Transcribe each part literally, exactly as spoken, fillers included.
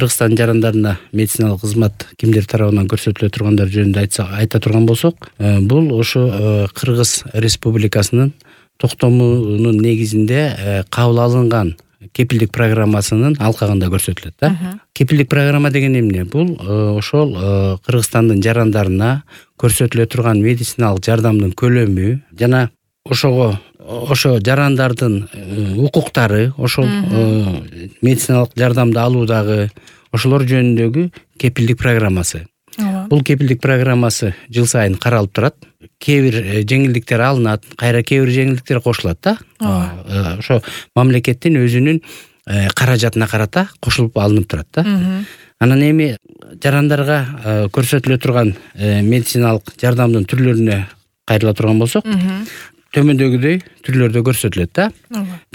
Кыргызстан жарандарына медициналык кызмат кимдер тарабынан көрсөтүлө тургандар жөнүндө айтсак айта турган болсок, бул ошо Кыргыз Республикасынын токтомунун негизинде кабыл алынган кепилдик программасынын алкагында көрсөтүлөт да. Кепилдик программа деген эмне? Бул ошол Кыргызстандын жарандарына көрсөтүлө турган медициналык жардамдын көлөмү жана ошого ошо жарандардын укуктары, ошол медициналык жардамды алуудагы ошолор жөнүндөгү кепилдик программасы. Бул кепилдик программасы жыл сайын каралып турат. Кээ бир жеңилдиктер алынат, кайра кээ бир жеңилдиктер кошулат да. Ошо мамлекеттин өзүнүн каражатына карата кошулуп алынып турат да. Анан эми жарандарга көрсөтүлө турган медициналык жардамдын түрлөрүнө кайрыла турган болсок, төмөндөгүдөй түрлөрдө көрсөтүлөт да.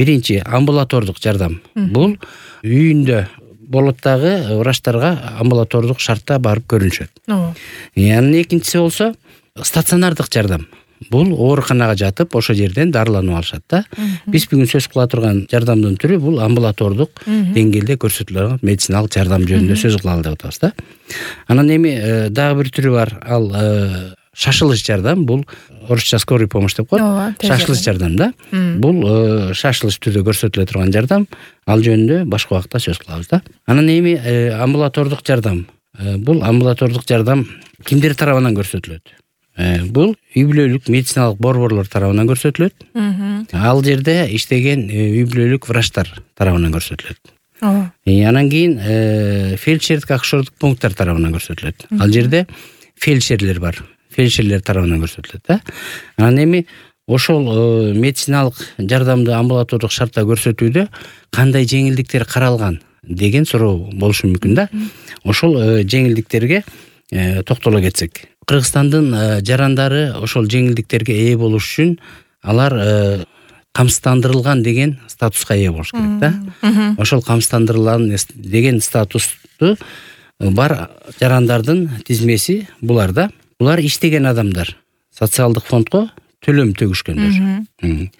Биринчи амбулатордук жардам. Бул үйүндө болот дагы врачтарга амбулатордук шартта барып көрүнүшөт. Анан экинчиси болсо стационардык жардам. Бул ооруканага жатып, ошо жерден дарыланып алышат да. Биз бүгүн сөз кыла турган жардамдын түрү бул амбулатордук деңгээлде көрсөтүлгөн медициналык жардам жөнүндө сөз кылалы деп атабыз да. Анан эми дагы бир түрү бар, ал шашылыш жардам. Бул орусча скорый помощь деп коет. Шашылыш жардам да. Бул шашылыш түрдө көрсөтүлө турган жардам. Ал жөнүндө башка убакта сөз кылабыз да. Анан эми амбулатордук жардам. Бул амбулатордук жардам кимдер тарабынан көрсөтүлөт? Бул үй-бүлөлүк медициналык борборлор тарабынан көрсөтүлөт. Ал жерде иштеген үй-бүлөлүк врачтар тарабынан көрсөтүлөт. Анан кийин фельдшердик акушердик пункттар тарабынан көрсөтүлөт. Ал жерде фельдшерлер бар. Фельдшерлер тарабынан көрсөтүлөт да. Анан эми ошол медициналык жардамды амбулатордук шартта көрсөтүүдө кандай жеңилдиктер каралган деген суроо болушу мүмкүн да. Ошол жеңилдиктерге токтоло кетсек. Кыргызстандын жарандары ошол жеңилдиктерге ээ болуш үчүн алар камсыздандырылган деген статуска ээ болуш керек да. Ошол камсыздандырылган деген статусту бар жарандардын тизмеси булар да. Булар иштеген адамдар, социалдык фондго төлөм төгүшкөндөр.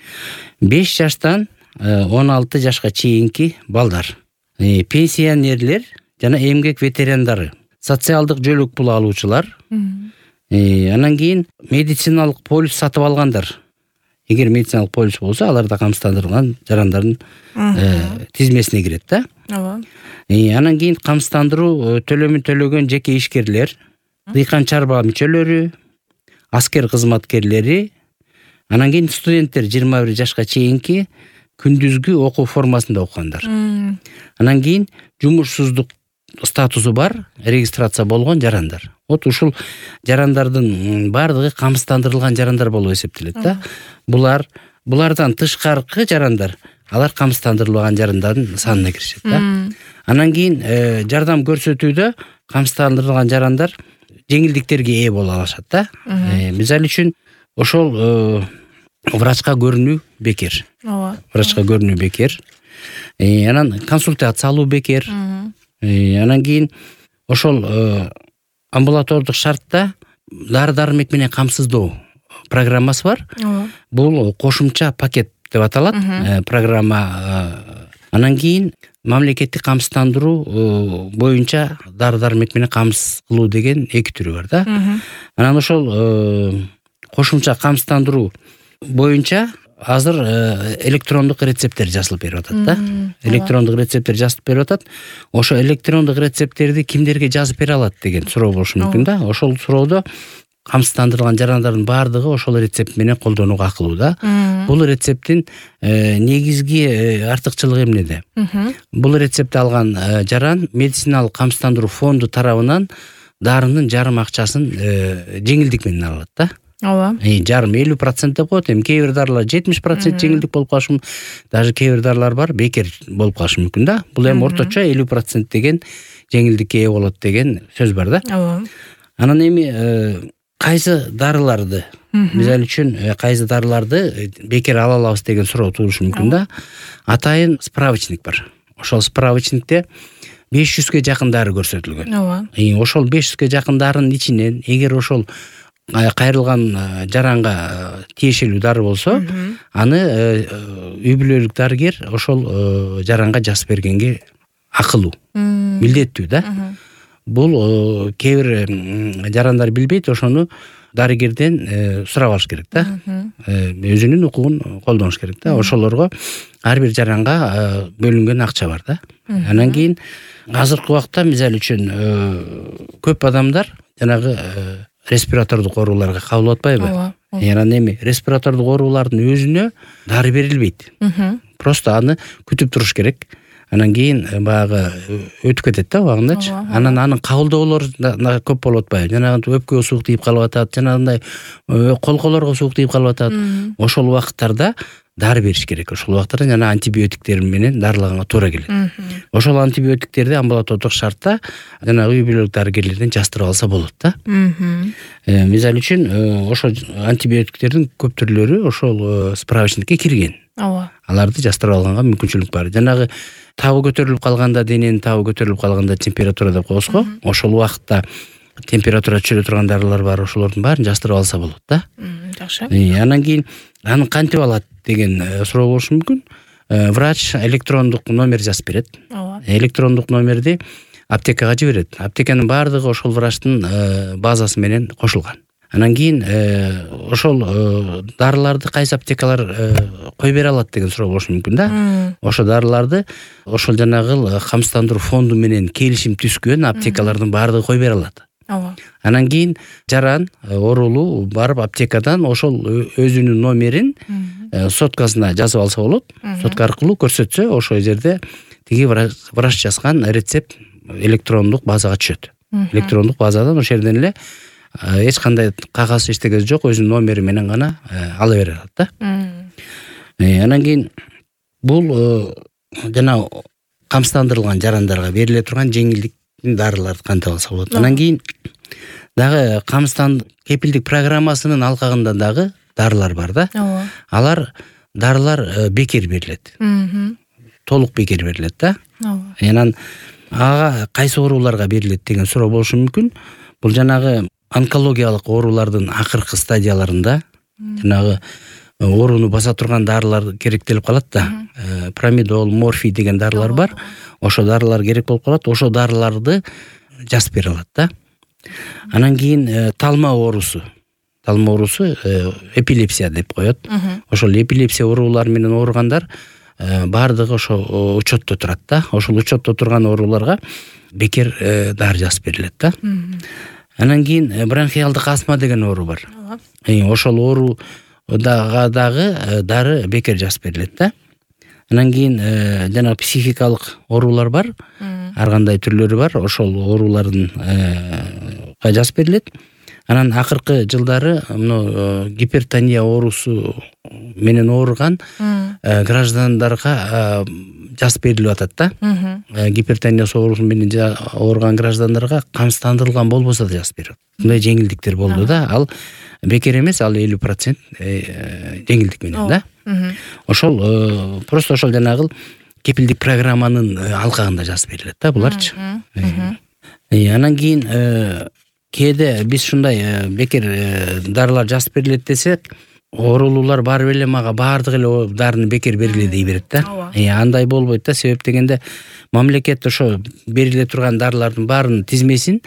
беш жаштан он алты жашка чейинки балдар, пенсионерлер жана эмгек ветерандары, социалдык жөлөк пул алуучулар, анан кийин медициналык полис сатып алгандар. Эгер медициналык полис болсо, алар да камсыздандырылган жарандардын тизмесине кирет да. Анан кийин камсыздандыруу төлөмүн төлөгөн жеке ишкерлер, дыйкан чарба мүчөлөрү, аскер кызматкерлери, анан кийин студенттер жыйырма бир жашка чейинки күндүзгү окуу формасында окугандар. Анан кийин жумушсуздук статусу бар, регистрация болгон жарандар. Вот ушул жарандардын бардыгы камсыздандырылган жарандар болуп эсептелет да. Булар булардан тышкаркы жарандар, алар камсыздандырылган жарандардын санына киришет да. Анан кийин жардам көрсөтүүдө камсыздандырылган жарандар жеңилдиктерге ээ боло алышат да. Мисалы үчүн ошол врачка көрүнүү бекер. Врачка көрүнүү бекер. Анан консультация алуу бекер. Анан кийин ошол амбулатордук шартта дары-дармек менен камсыздоо программасы бар. Бул кошумча пакет деп аталат программа. Анан кийин мамлекеттик камсыздандыруу боюнча дары-дармек менен камсыз кылуу деген эки түрү бар да. Анан ошол кошумча камсыздандыруу боюнча азыр электрондук рецепттер жазылып берип атат да. Электрондук рецепттер жазып берип атат. Ошо электрондук рецепттерди кимдерге жазып бере алат деген суроо болушу мүмкүн да. Ошол суроодо камсыздандырылган жарандардын баардыгы ошол рецепт менен колдонууга акылуу да. Бул рецепттин негизги артыкчылыгы эмнеде? Бул рецептти алган жаран медициналык камсыздандыруу фонду тарабынан дарынын жарым акчасын жеңилдик менен алат да. Ооба. Жарым элүү процент деп коет. Эми кээ бир дарылар жетимиш процент жеңилдик болуп калышы мүмкүн. Даже кээ бир дарылар бар бекер болуп калышы мүмкүн да. Бул эми орточо элүү процент деген жеңилдикке ээ болот деген сөз бар да. Ооба. Анан эми кайсы дарыларды, мисалы үчүн кайсы дарыларды бекер ала алабыз деген суроо туулушу мүмкүн да. Атайын справочник бар. Ошол справочникте беш жүзгө жакын дары көрсөтүлгөн. Ооба. Ошол беш жүзгө жакын дарынын ичинен эгер ошол кайрылган жаранга тиешелүү дары болсо, аны үй-бүлөлүк дарыгер ошол жаранга жазып бергенге акылуу, милдеттүү да. Бул кээ бир жарандар билбейт, ошону дарыгерден сурап алыш керек да. Өзүнүн укугун колдонуш керек да. Ошолорго ар бир жаранга бөлүнгөн акча бар да. Анан кийин азыркы убакта мисалы үчүн көп адамдар жанагы респиратордук ооруларга кабыл атпайбы? Анан эми респиратордук оорулардын өзүнө дары берилбейт. Просто аны күтүп туруш керек. Анан кийин баягы өтүп кетет да убагындачы. Анан анын кабылдоолору көп болуп атпайбы? Жанагы өпкөгө суук тийип калып атат, жанагындай колколорго суук тийип калып атат. Ошол убакыттарда дары бериш керек. Ошол убакыттарда жана антибиотиктер менен дарылаганга туура келет. Ошол антибиотиктерди амбулатордук шартта жанагы үй бүлөлүк дарыгерлерден жастырып алса болот да. Мисалы үчүн ошол антибиотиктердин көп түрлөрү ошол справочникке кирген. Ооба. Аларды жастырып алганга мүмкүнчүлүк бар. Жанагы табы көтөрүлүп калганда, дененин табы көтөрүлүп калганда температура деп коебуз го. Ошол убакытта температура түшүрө турган дарылар бар, ошолордун баарын жастырып алса болот да. Жакшы. Анан кийин аны кантип алат деген суроо болушу мүмкүн. Врач электрондук номер жазып берет. Ооба. Электрондук номерди аптекага жиберет. Аптеканын баардыгы ошол врачтын базасы менен кошулган. Анан кийин ошол дарыларды кайсы аптекалар кой бере алат деген суроо болушу мүмкүн да. Ошо дарыларды ошол жанагы камсыздандыруу фонду менен келишим түзгөн аптекалардын баардыгы кой бере алат. Ооба. Анан кийин жаран оорулуу барып аптекадан ошол өзүнүн номерин соткасына жазып алса болот. Сотка аркылуу көрсөтсө, ошол жерде тиги врач жазган рецепт электрондук базага түшөт. Электрондук базадан ошол жерден эле эч кандай кагаз эчтеке жок, өзүнүн номери менен гана ала бере алат да. Анан кийин бул жана камсыздандырылган жарандарга бериле турган жеңилдиктин дарыларды кантип алса болот. Анан кийин дагы камсыздан кепилдик программасынын алкагында дагы дарылар бар да. Алар дарылар бекер берилет. Толук бекер берилет да. Анан ага кайсы ооруларга берилет деген суроо болушу мүмкүн. Бул жанагы онкологиялык оорулардын акыркы стадияларында жанагы ооруну баса турган дарылар керектелип калат да. Промидол, морфий деген дарылар бар. Ошо дарылар керек болуп калат. Ошо дарыларды жазып бере алат да. Анан кийин талма оорусу. Талма оорусу эпилепсия деп коет. Ошол эпилепсия оорулары менен ооругандар баардыгы ошо учетто турат да. Ошол учетто турган ооруларга бекер дары жазып берилет да. Анан кийин бронхиалдык астма деген оору бар. Ошол оору дагы дары бекер жазып берилет да. Анан кийин жана психикалык оорулар бар. Ар кандай түрлөрү бар. Ошол оорулардын жазып берилет. Анан акыркы жылдары мына гипертония оорусу менен ооруган граждандарга жазып берилип атат да. Гипертония оорусу менен ооруган граждандарга камсыздандырылган болбосо да жазып берет. Мындай жеңилдиктер болду да. Ал бекер эмес, ал элүү процент жеңилдик менен да. Ошол просто ошол жанагы кепилдик программанын алкагында жазып берилет да буларчы. Анан кийин кээде биз ушундай бекер дарылар жазып берилет десек, оорулуулар барып эле мага баардык эле дарыны бекер бериле дей берет да. Андай болбойт да, себеп дегенде мамлекет ошо бериле турган дарылардын баарынын тизмесин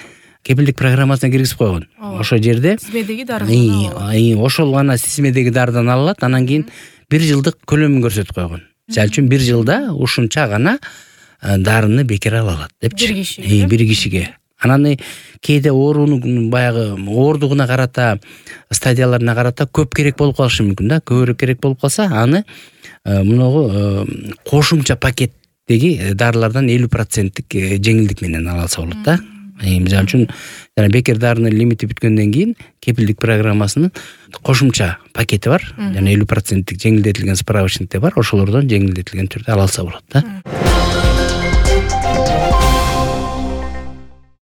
кепилдик программасына киргизип койгон. Ошол жерде тизмедеги дарыдан ошол гана тизмедеги дарыдан алынат. Анан кийин бир жылдык көлөмүн көрсөтүп койгон. Мисалы үчүн бир жылда ушунча гана дарыны бекер ала алат депчи. Бир кишиге. Бир кишиге. Анан кээде оорунун баягы оордугуна карата, стадияларына карата көп керек болуп калышы мүмкүн да. Көбүрөөк керек болуп калса, аны мынагу кошумча пакеттеги дарылардан элүү проценттик жеңилдик менен ала алса болот да. Мисалы үчүн жана бекер дарынын лимити бүткөндөн кийин кепилдик программасынын кошумча пакети бар. Жана элүү проценттик жеңилдетилген справочниктер бар. Ошолордон жеңилдетилген түрдө ала алса болот да.